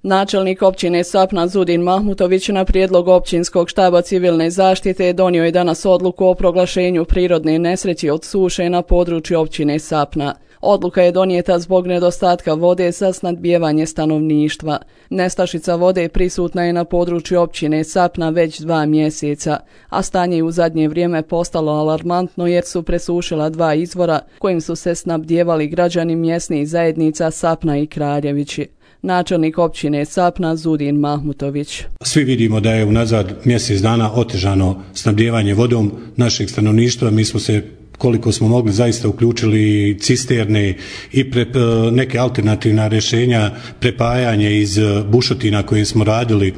Načelnik općine Sapna Zudin Mahmutović na prijedlog općinskog štaba civilne zaštite donio je danas odluku o proglašenju prirodne nesreće od suše na području općine Sapna. Odluka je donijeta zbog nedostatka vode za snabdijevanje stanovništva. Nestašica vode prisutna je na području općine Sapna već 2 mjeseca, a stanje je u zadnje vrijeme postalo alarmantno jer su presušila 2 izvora kojim su se snabdijevali građani mjesnih zajednica Sapna i Kraljevići. Načelnik općine Sapna Zudin Mahmutović. Svi vidimo da je unazad mjesec dana otežano snabdijevanje vodom našeg stanovništva. Mi smo se koliko smo mogli zaista uključili cisterne i neke alternativna rješenja, prepajanje iz bušotina koje smo radili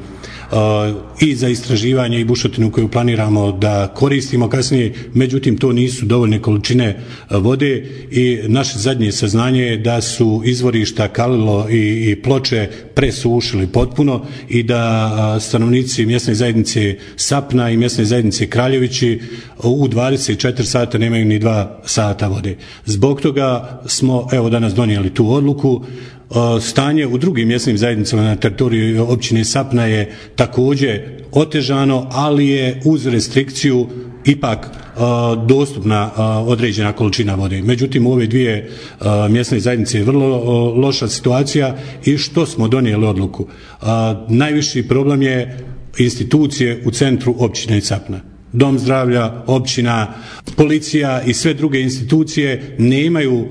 i za istraživanje i bušotinu koju planiramo da koristimo kasnije, međutim to nisu dovoljne količine vode i naše zadnje saznanje je da su izvorišta Kalilo i Ploče presušili potpuno i da stanovnici mjesne zajednice Sapna i mjesne zajednice Kraljevići u 24 sata nemaju ni 2 sata vode. Zbog toga smo danas donijeli tu odluku. Stanje u drugim mjesnim zajednicama na teritoriju općine Sapna je također otežano, ali je uz restrikciju ipak dostupna određena količina vode. Međutim, u ove 2 mjesne zajednice je vrlo loša situacija i što smo donijeli odluku. Najviši problem je institucije u centru općine Sapna. Dom zdravlja, općina, policija i sve druge institucije nemaju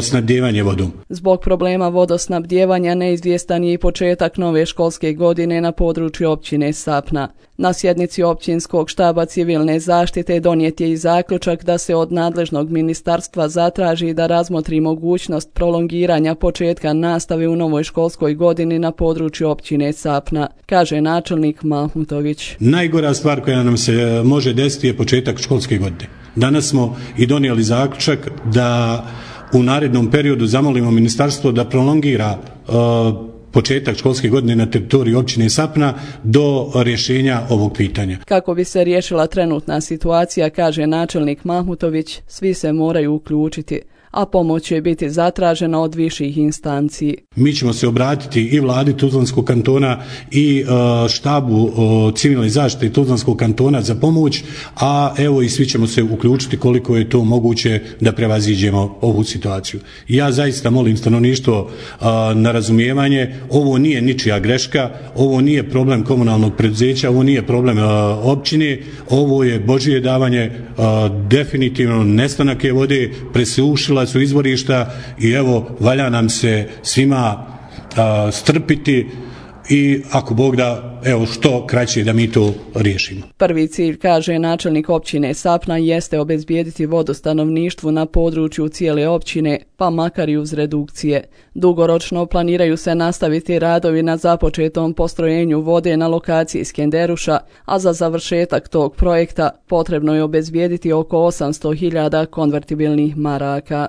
snabdijevanje vodom. Zbog problema vodosnabdijevanja neizvjestan je i početak nove školske godine na području općine Sapna. Na sjednici općinskog štaba civilne zaštite donijet je i zaključak da se od nadležnog ministarstva zatraži da razmotri mogućnost prolongiranja početka nastave u novoj školskoj godini na području općine Sapna, kaže načelnik Mahmutović. Najgora stvar koja nam se može desiti je početak školske godine. Danas smo i donijeli zaključak da u narednom periodu zamolimo ministarstvo da prolongira početak školske godine na teritoriji općine Sapna do rješenja ovog pitanja. Kako bi se riješila trenutna situacija, kaže načelnik Mahmutović, svi se moraju uključiti, a pomoć će biti zatražena od viših instanci. Mi ćemo se obratiti i vladi Tuzlanskog kantona i štabu civilne zaštite Tuzlanskog kantona za pomoć, a i svi ćemo se uključiti koliko je to moguće da prevaziđemo ovu situaciju. Ja zaista molim stanovništvo na razumijevanje, ovo nije ničija greška, ovo nije problem komunalnog preduzeća, ovo nije problem općine, ovo je Božje davanje, definitivno nestanak je vode, presušila su izvorišta i valja nam se svima strpiti i ako Bog da, što kraće da mi to riješimo. Prvi cilj, kaže načelnik općine Sapna, jeste obezbijediti vodu stanovništvu na području cijele općine, pa makar i uz redukcije. Dugoročno planiraju se nastaviti radovi na započetom postrojenju vode na lokaciji Skenderuša, a za završetak tog projekta potrebno je obezbijediti oko 800.000 konvertibilnih maraka.